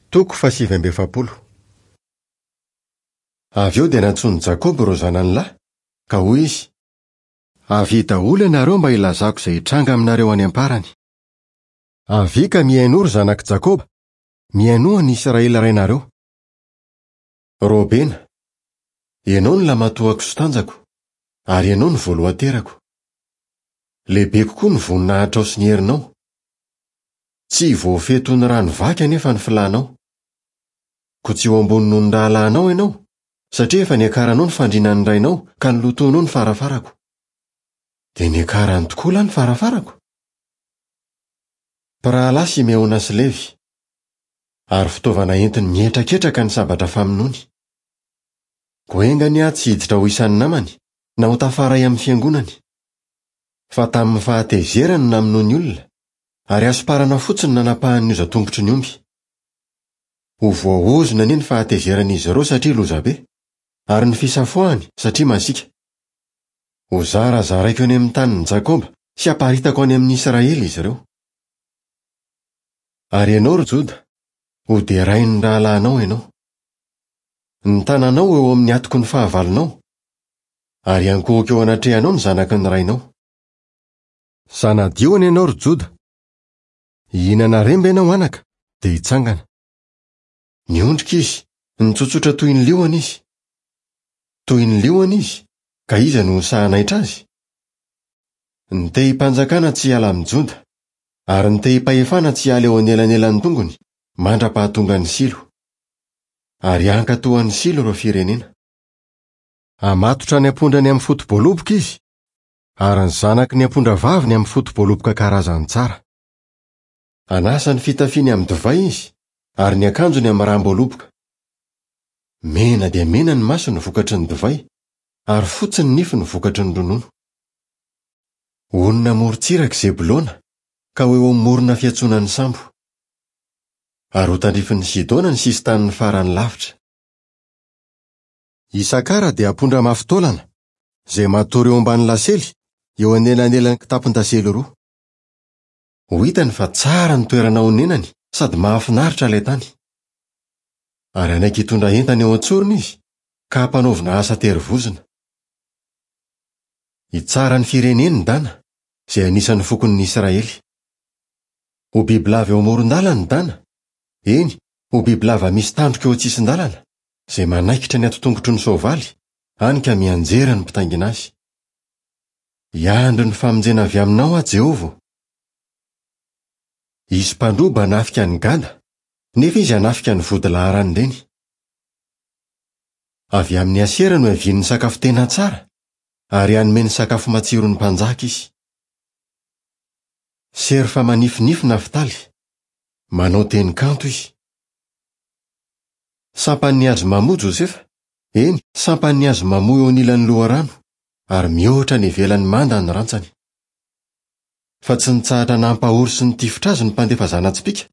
Toko fahasivy amby efapolo. Avy eo dia nantsoin'i Jakoba ireo zanany lahy, ka hoy izy, Avia daholo ianareo mba hilazako izay hitranga aminareo any am-parany. Avia ka mihainoa ry zanak'i Jakoba, mihainoa an'i Israely rainareo. Robena, ianao no lamatoako sy tanjako, ary ianao no voalohan-terako. Lehibe kokoa ny voninahitrao sy ny herinao. Tsy voafehy toy ny rano vaky anefa ny filanao. Koa tsy ho ambony noho ny rahalahinao ianao, satria efa niakaranao ny fandrinan'ny rainao ka nolotoinao ny farafarako. Dia niakarany tokoa lahy ny farafarako? Mpirahalahy Simeona sy Levy, ary fitaovana entiny mihetraketraka ny sabatra famonoany. Koa enga anie aho tsy hiditra ho isan'ny namany, na ho tafaray amin'ny fiangonany. Fa tamin'ny fahatezerany no namonoany olona, ary hasomparana fotsiny no nanapahany ny hozatongotry ny omby. Ho voaozona anie ny fahatezeran'izy ireo satria lozabe, ary ny fisafoahany satria masiaka. Hozarazaraiko any amin'ny tanin'i Jakoba sy haparitako any amin'i Israely izy ireo. Ary ianao, ry Joda, hoderain'ny rahalahinao ianao. Ny tananao ho eo amin'ny hatoky ny fahavalonao, ary hiankohoka eo anatrehanao ny zanaky ny rainao. Zana-diona ianao, ry Joda. Hihinana remba ianao, anaka, dia hitsangana. Niondrika izy, nitsotsotra toy ny liona izy. Toy ny liona izy, ka iza no ho sahy hanaitra azy? Ny tehim-panjakana tsy hiala amin'i Joda, ary ny tehim-pahefana tsy hiala eo anelanelan'ny tongony, mandra-pahatongan'i Silo. Ary hankatò an'i Silo ireo firenena. Hamatotra ny ampondrany amin'ny foto-boaloboka izy, ary ny zanaky ny ampondravaviny amin'ny foto-boaloboka karazany tsara. Hanasa ny fitafiany amin'ny divay izy, ary ny akanjony amin'ny ram-boaloboka. Mena dia mena ny masony vokatry ny divay, ary fotsy ny nifiny vokatry ny ronono. Honina amoron-tsiraka i Zebolona, ka ho eo amin'ny morona fiantsonan'ny sambo. Ary ho tandrifin'i Sidona ny sisin-taniny farany lavitra. Isakara dia ampondra mafy taolana, izay matory eo ambany lasely, eo anelanelan'ny kitapon-dasely roa. Ho hitany fa tsara ny toerana onenany sady mahafinaritra ilay tany. Ary hanaiky hitondra entana eo an-tsorony izy, ka hampanaovina asa terivozona. Hitsara ny fireneny i Dana, izay anisan'ny fokon'ny Israely. Ho bibilava eo amoron-dalana i Dana, eny, ho bibilava misy tandroka eo an-tsisin-dalana, izay manaikitra ny hatotongotry ny soavaly, hany ka mianjera ny mpitaingina azy. Hiandry ny famonjena avy aminao aho, Jehovah ô. Hisy mpandroba hanafika an'i Gada, nefa izy hanafika ny vodilaharan'ireny. Avy amin'i Asera no hiavian'ny sakafo tena tsara, ary hanome ny sakafo matsiron'ny mpanjaka izy. Serfa manifinify Naftaly, manao teny kanto izy. Sampan'ny hazo mamoa Josefa, eny, sampan'ny hazo mamoa eo anilan'ny loharano, ary mihoatra any ivelan'ny manda ny rantsany. Fa tsy nitsahatra nampahory sy nitifitra azy ny mpandefa zana-tsipìka,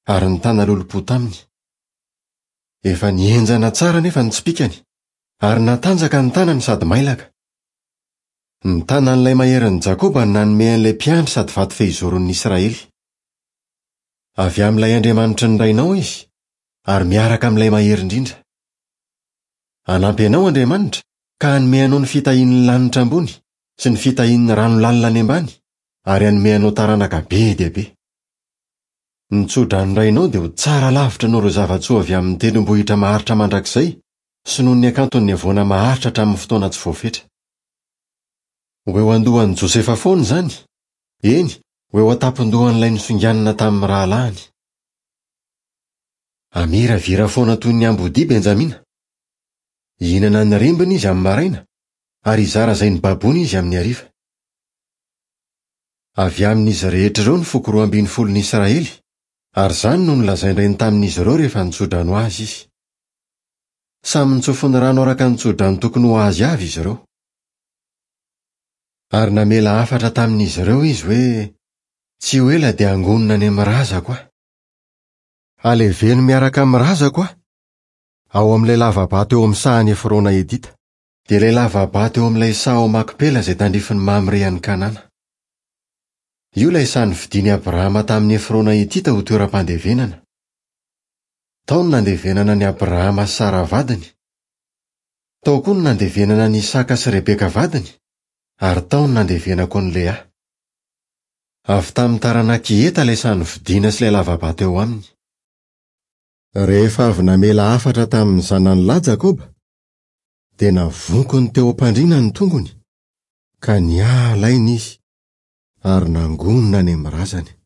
ary nitana lolompo taminy. Efa nihenjana tsara anefa ny tsipìkany, ary natanjaka ny tanany sady mailaka. Ny tanan'ilay Maherin'i Jakoba no nanome an'ilay mpiandry sady vato fehizoron'ny Israely. Avy amin'ilay Andriamanitry ny rainao izy, ary miaraka amin'ilay Mahery Indrindra. Hanampy anao Andriamanitra, ka hanome anao ny fitahian'ny lanitra ambony sy ny fitahian'ny rano lalina any ambany, ary hanome anao taranaka be dia be. Ny tso-dranon-drainao dia ho tsara lavitra noho ireo zava-tsoa avy amin'ny tendrombohitra maharitra mandrakizay sy noho ny hakanton'ny havoana maharitra hatramin'ny fotoana tsy voafetra. Ho eo an-dohan'i Josefa foana izany, eny, ho eo an-tampon-dohan'ilay nosonganina tamin'ny rahalahiny. Hamiravira foana toy ny ambodia Benjamina. Hihinana ny rembiny izy amin'ny maraina, ary hizara izay nobaboiny izy amin'ny hariva. Avy amin'izy rehetra ireo ny foko roambinifolon'i Israely, ary izany no nolazain-drainy tamin'izy ireo rehefa nitso-drano azy izy. Samy nitsofiny rano araka ny tso-drano tokony ho azy avy izy ireo. Ary namela hafatra tamin'izy ireo izy hoe, Tsy ho ela dia hangonina any amin'ny razako aho. Haleveno miaraka amin'ny razako aho, ao amin'ilay lava-bato eo amin'ny sahan'i Efrona Hetita. Dia ilay lava-bato eo amin'ilay saha ao Makpela izay tandrifin'i Mamre any Kanana. Io ilay saha novidian'i Abrahama tamin'i Efrona Hetita ho toeram-pandevenana. Tao no nandevenana an'i Abrahama sy Sara vadiny. Tao koa no nandevenana an'i Isaka sy Rebeka vadiny, ary tao no nandevenako an'i Lea. Avy tamin'ny taranak'i Heta ilay saha novidiana sy ilay lava-bato eo aminy. Rehefa avy namela hafatra tamin'ny zanany lahy Jakoba, dia navonkony teo am-pandriana ny tongony, ka niala aina izy, ary nangonina any amin'ny razany.